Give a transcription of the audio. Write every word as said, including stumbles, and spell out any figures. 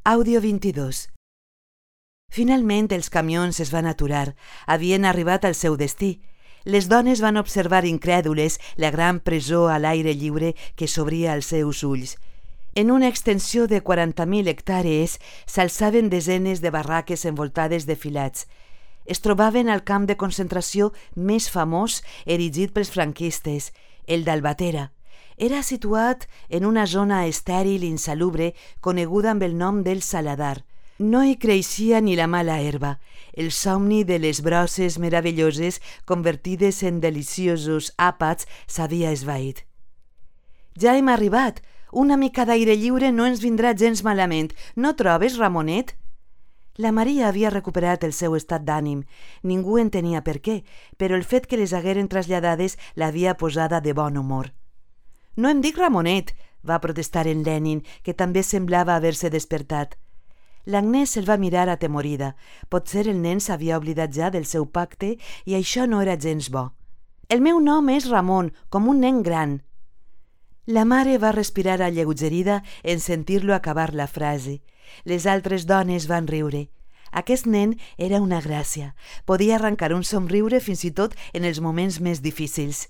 Àudio vint-i-dos. Finalment els camions es van aturar. Havien arribat al seu destí. Les dones van observar incrèdules la gran presó a l'aire lliure que s'obria als seus ulls. En una extensió de quaranta mil hectàrees s'alçaven desenes de barraques envoltades de filats. Es trobaven al camp de concentració més famós erigit pels franquistes, el d'Albatera. Era situat en una zona estèril i insalubre coneguda amb el nom del Saladar. No hi creixia ni la mala herba. El somni de les brosses meravelloses convertides en deliciosos àpats s'havia esvaït. Ja hem arribat. Una mica d'aire lliure no ens vindrà gens malament. No trobes, Ramonet? La Maria havia recuperat el seu estat d'ànim. Ningú entenia per què, però el fet que les hagueren traslladades l'havia posada de bon humor. «No em dic Ramonet», va protestar en Lenin, que també semblava haver-se despertat. L'Agnès el va mirar atemorida. Potser el nen s'havia oblidat ja del seu pacte i això no era gens bo. «El meu nom és Ramon, com un nen gran». La mare va respirar alleugerida en sentir-lo acabar la frase. Les altres dones van riure. Aquest nen era una gràcia. Podia arrencar un somriure fins i tot en els moments més difícils.